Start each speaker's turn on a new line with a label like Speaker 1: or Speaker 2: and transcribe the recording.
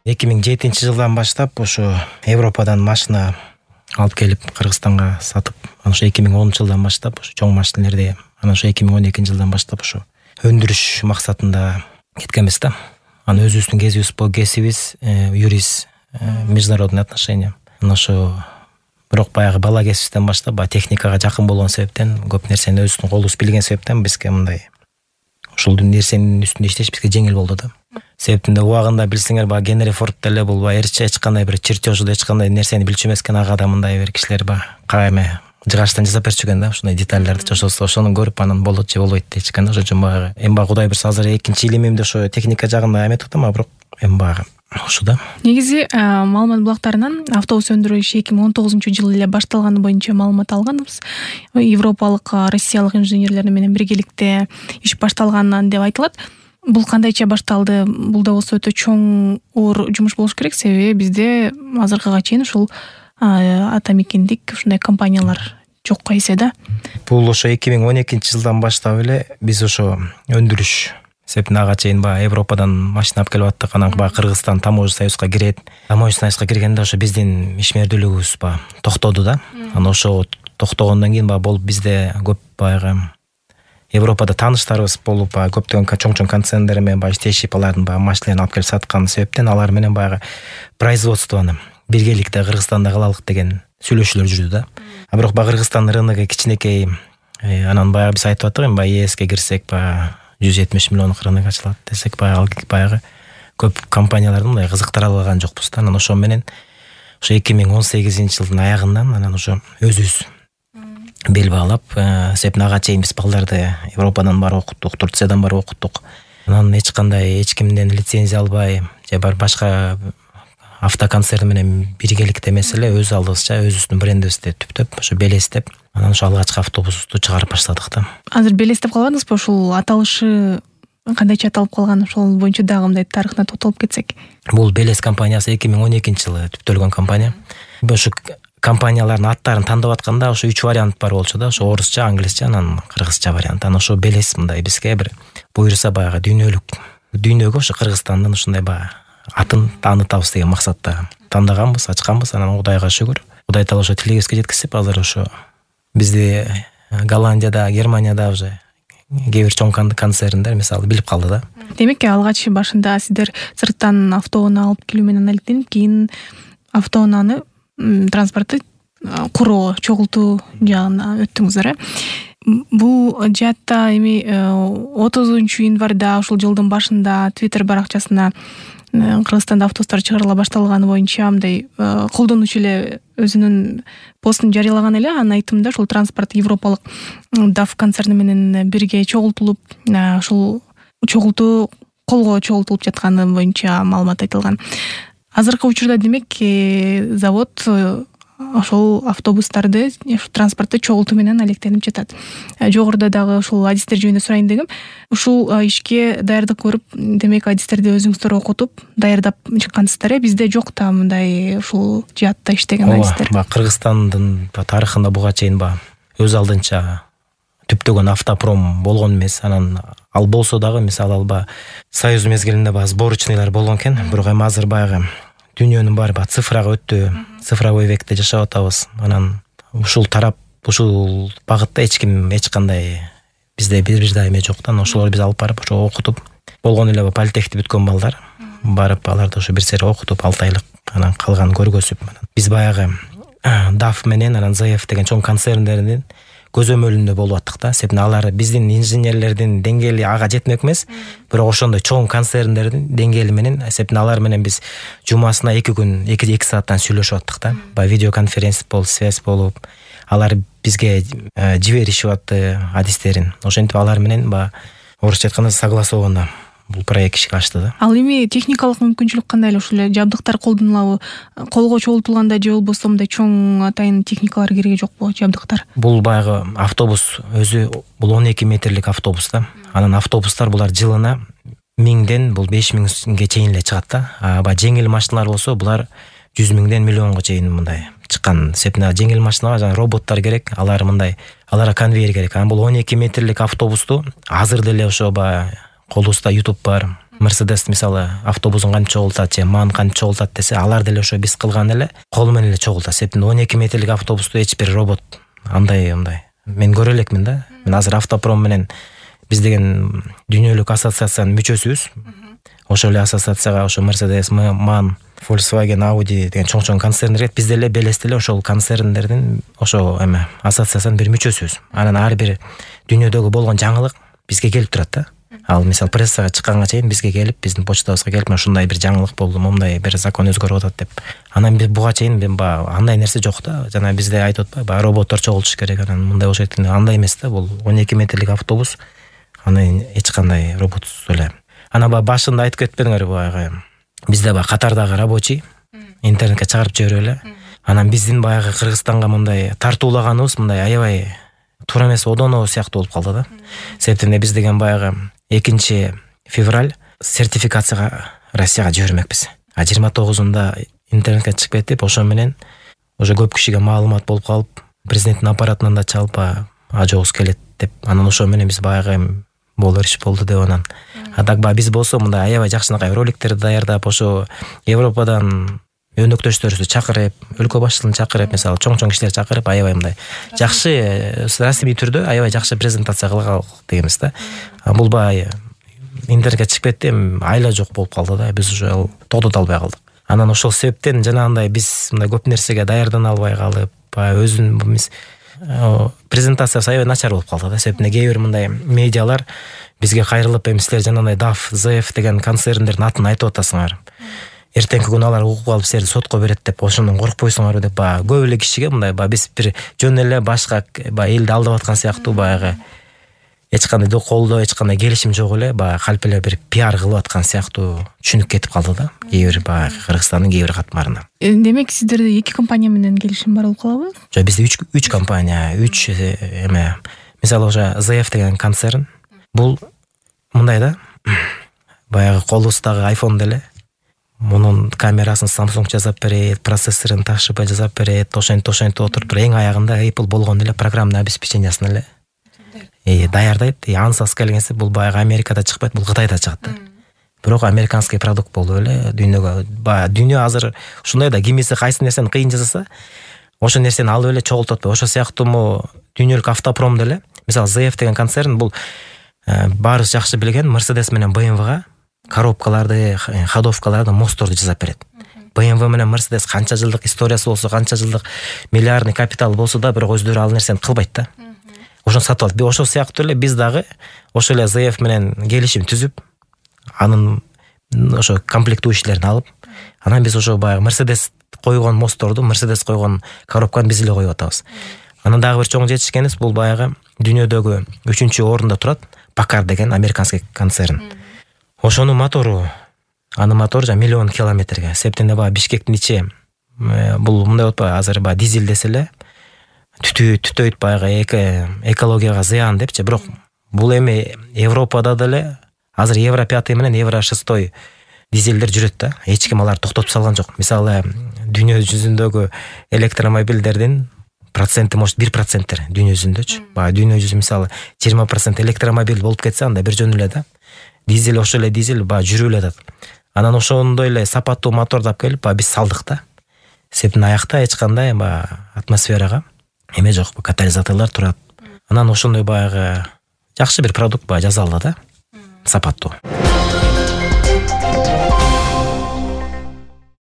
Speaker 1: 2007-жылдан баштап ошо Европадан машина алып келип Кыргызстанга сатып, ошо 2010-жылдан баштап ошо чоң машинелерди, анан ошо 2012-жылдан баштап ошо өндүрүш максатында кеткенбиз да. Анан өзүбүздүн кесибиз юрист, международный отношения. Анан ошо бирок баягы бала кесибизден баштап техникага жакын болгон себептен, көп нерсени өзүбүздүн колубуз билген себептен бизге мындай ушул нерсенин үстүндө иштеш бизге жеңил болду да. Себебинде убагында билсеңер, Генри Форд деле бул эч кандай бир чертежду, эч кандай нерсени билчү эмес экен. Ага да мындай бир кишилер кайме жыгачтан жасап берчү экен да, ушундай детальдерди жашосо, ошону көрүп анан болот же болбойт дейчү экен да. Ошон үчүн эми Кудай буйрса азыр экинчи илимимди ошо техника жагында эметип атам, бирок эми ошо да.
Speaker 2: Негизи маалымат булактарынан автобус өндүрүү иши 2019-жылы эле башталганы боюнча маалымат алганбыз. Европалык, Россиялык инженерлер менен биргеликте иш башталган деп айтылат. Бул кандайча башталды? Бул да болсо өтө чоң оор жумуш болуш керек, себеби бизде азыркыга чейин ушул атамекендик ушундай компаниялар жок эсе да.
Speaker 1: Бул ошо 2012-жылдан баштап эле биз ошо өндүрүш себебинде ага чейин Европадан машина алып келип аттык. Анан Кыргызстан таможня союзга кирет. Таможня союзга киргенде ошо биздин ишмердүүлүгүбүз токтоду да. Анан ошо токтогондон кийин болуп бизде көп Европада тааныштарыбыз болуп, көптөгөн чоң концерндер менен иштешип, алардын машиналарын алып келип саткан себептен алар менен производствону биргеликте Кыргызстанда кылалык деген сүйлөшүүлөр жүрдү да. Бирок Кыргызстан рыногу кичинекей, анан биз айтып аттык, эми ЕСке кирсек 170 миллиондук рынок ачылат десек, көп компанияларды мындай кызыктыра алган жокпуз да. Анан ошо менен ошо 2018-жылдын аягынан анан ошо өзүбүз бел баалап, себебинде ага чейин биз балдарды Европадан барып окуттук, Турциядан барып окуттук. Анан эч кимден лицензия албай, же башка автоконцерн менен биргеликте эмес эле өз алдыбызча өзүбүздүн брендибизди түптөп, ошо белестеп, анан ошо алгачкы автобусубузду чыгарып баштадык да.
Speaker 2: Азыр белестеп калбадыңызбы? Ушул аталышы кандайча аталып калган, ошол боюнча дагы мындай тарыхына тотолуп кетсек.
Speaker 1: Бул Белес компаниясы 2012-жылы түптөлгөн компания. Ошо компаниялардын аттарын тандап атканда ошо 3 вариант бар болчу да. Ошо орусча, англисче, анан кыргызча вариант. Анан ошо Белес мындай бизге бир буйруса дүйнөгө ошо Кыргызстандын ушундай атын таанытабыз деген максатта тандаганбыз, ачканбыз. Анан Кудайга шүгүр. Кудай таала ошо тилегибизге жеткизип, азыр ошо бизди Голландияда, Германияда уже кээ бир чоң концерндер мисалы билип калды да.
Speaker 2: Демек, алгач башында сиздер сырттан автоунаа алып келүү менен алектенип, кийин автоунааны транспортты куруу, чогултуу жагына өттүңүздөр. Бул жаатта эми 30-январда ушул жылдын башында Twitter баракчасына Кыргызстанда автобустар чыгарыла башталганы боюнча мындай колдонуучу эле өзүнүн постун жарыялаган эле. Анын айтымында ушул транспорт европалык DAF концерни менен бирге чогултулуп, ушул чогултуу колго чогултулуп жатканы боюнча маалымат айтылган. Азыркы учурда демек завод ошол автобустарды, транспортты чогултуу менен алектенип жатат. Жогоруда дагы ушул адистер жөнүндө сурайын дегем. Ушул ишке даярдык көрүп, демек адистерди өзүңүздөр окутуп, даярдап чыккансыздар. Бизде жок да мындай ушул жаатта иштеген адистер.
Speaker 1: Кыргызстандын тарыхында буга чейин өз алдынча түптөгөн автопром болгон эмес. Анан ал болсо дагы мисалы Союз мезгилинде сборочныйлар болгон экен. Бирок эми азыр дүйнөнүн баары цифрага өттү, цифровой векте жашап атабыз. Анан ушул багытта эч кандай бизде бир дайыме жок да. Ошолорду биз алып барып ошо окутуп, болгон эле политехти бүткөн балдар барып аларды ошо бир сере окутуп 6 айлык, анан калганын көргөзүп, биз DAF менен анан ZF деген чоң концерндердин көзөмөлүндө болуп аттык да. Себеби алар биздин инженерлердин деңгээли ага жетмек эмес, бирок ошондой чоң концерндердин деңгээли менен, себеби алар менен биз жумасына 2 сааттан сүйлөшүп аттык да. Видеоконференция болуп, связь болуп, алар бизге жиберишип атты адистерин. Ошентип алар менен орусча айтканда согласованно бул проект ишке ашты да.
Speaker 2: Ал эми техникалык мүмкүнчүлүк кандай эле? Ушул жабдыктар колдонулабы? Колго чогултулганда же болбосо мындай чоң атайын техникалар кереги жокпу, жабдыктар?
Speaker 1: Бул автобус өзү бул 12 метрлик автобус да. Анан автобустар булар жылына 1000ден 5000ге чейин эле чыгат да. Жеңил машиналар болсо булар 100 миңден миллионго чейин мындай чыккан. Себеби жеңил машиналарга роботтор керек, аларга конвейер керек. Бул 12 метрлик автобусту азыр деле ошо колубузда YouTube бар, Мерседес мисалы автобусун кантип чогултат же ман кантип чогултат десе, алар деле ошо биз кылган эле кол менен эле чогултат. Себептен 12 метрлик автобусту эч бир робот андай мен көрө элекмин да. Мен азыр автопром менен биз деген дүйнөлүк ассоциациянын мүчөсүбүз. Ошол эле ассоциацияга ошо Mercedes, MAN, Volkswagen, Audi деген чоң концерндер биз деле белес эле ошол концерндердин ошо ассоциациянын бир мүчөсүбүз. Анан ар бир дүйнөдөгү болгон жаңылык бизге келип турат да. Ал мисалы прессага чыкканга чейин бизге келип, биздин почтабызга келип, ушундай бир жаңылык болду, мындай бир закон өзгөрүп атат деп. Анан биз буга чейин андай нерсе жок да. Жана бизде айтып атпайбы, роботтор чогултуш керек, анан мындай болуш керек. Андай эмес да, бул 12 метрлик автобус. Анан эч кандай роботсуз эле. Анан башында айтып кетпедиңерби, баягы бизде катардагы рабочий интернетке чыгарып жиберип эле. Анан биздин баягы Кыргызстанга мындай тартуулаганыбыз мындай аябай туура эмес, одоно сыяктуу болуп калды да. Себептен биз деген баягы 2 февраль сертификацияга Россияга жибермекпиз. 29-унда интернетке чыгып кетип, ошо менен уже көп кишиге маалымат болуп калып, президенттин аппаратынан да чалып ажообуз келет деп, анан ошо менен биз баягы болор иш болду деп анан. Так биз болсо мындай аябай жакшынакай роликтерди даярдап, ошо Европадан өнөктөштөрүбүздү чакырып, өлкө башчылыгын чакырып, мисалы чоң кишилерди чакырып, аябай мындай жакшы расмий түрдө аябай жакшы презентация кылган дегенбиз да. Бул интернетке чыгып кетти, айла жок болуп калды да, биз уже токтото албай калдык. Анан ошол себептен жанагындай биз мындай көп нерсеге даярдана албай калып, өзүн презентациясы аябай начар болуп калды да. Себептен кээ бир мындай медиалар бизге кайрылып, силер жанагындай DAF, ZF деген концерндердин атын айтып атасыңар. Эртеңки күнү алар угуп алып силерди сотко берет деп, ошондон коркпойсуңарбы деп, көп эле кишиге мындай биз бир жөн эле башка элди алдап аткан сыяктуу баягы эч кандай колдоо, эч кандай келишим жок эле, калп эле бир пиар кылып аткан сыяктуу түшүнүк кетип калды да, кээ бир Кыргызстандын кээ бир катмарына.
Speaker 2: Демек сиздерде 2 компания менен келишим бар болуп калабы?
Speaker 1: Жок, бизде 3 компания, 3 мисалы ошо ZF деген концерн, бул мындай да, баягы колубуздагы iPhone деле, мунун камерасын Samsung жасап берет, процессорун Toshiba жасап берет, ошентип отуруп, эң аягында Apple болгон эле программный обеспечениясын эле даярдайт. Ансас келгенсе бул баягы Америкада чыкпайт, бул Кытайда чыгат да. Бирок американский продукт болуп эле дүйнөгө, дүйнө азыр ушундай да, кимиси кайсы нерсени кыйын жасаса, ошол нерсени алып эле чогултуп атпайбы. Ошол сыяктуу дүйнөлүк автопром деле, мисалы ZF деген концерн, бул баарыбыз жакшы билген Mercedes менен BMW-га коробкаларды, ходовкаларды, мостторду жасап берет. BMW менен Mercedes канча жылдык историясы болсо, канча жылдык миллиардный капитал болсо да, бирок өздөрү ал нерсени кылбайт да. Ошону сатып алат. Ошол сыяктуу эле биз дагы ошо эле ZF менен келишим түзүп, анын ошо комплектующийлерин алып, анан биз ошо баягы Mercedes койгон мостторду, Mercedes койгон коробканы биз эле коюп атабыз. Анан дагы бир чоң жетишкенибиз, бул баягы дүйнөдөгү 3-орунда турат Packard деген американский концерн. Ошонун мотору, анын мотору 1 миллион километрге. Себептен Бишкектин ичи бул мындай болуп азыр дизель десе эле түтөйт, баягы экологияга зыян депчи. Бирок бул эми Европада деле азыр Евро 5 менен Евро 6 дизелдер жүрөт да. Эч ким аларды токтотуп салган жок. Мисалы дүйнө жүзүндөгү электромобилдердин проценти может 1% дүйнө жүзүндөчү. Дүйнө жүзү мисалы 20% электромобиль болуп кетсе, анда бир жөн эле да. Дизель ошол эле дизель жүрүп эле атат. Анан ошондой эле сапаттуу моторду алып келип биз салдык да. Себептен аякта эч кандай атмосферага эме жок, катализаторлор турат. Анан ошондой баягы жакшы бир продукт жасалды да, сапаттуу.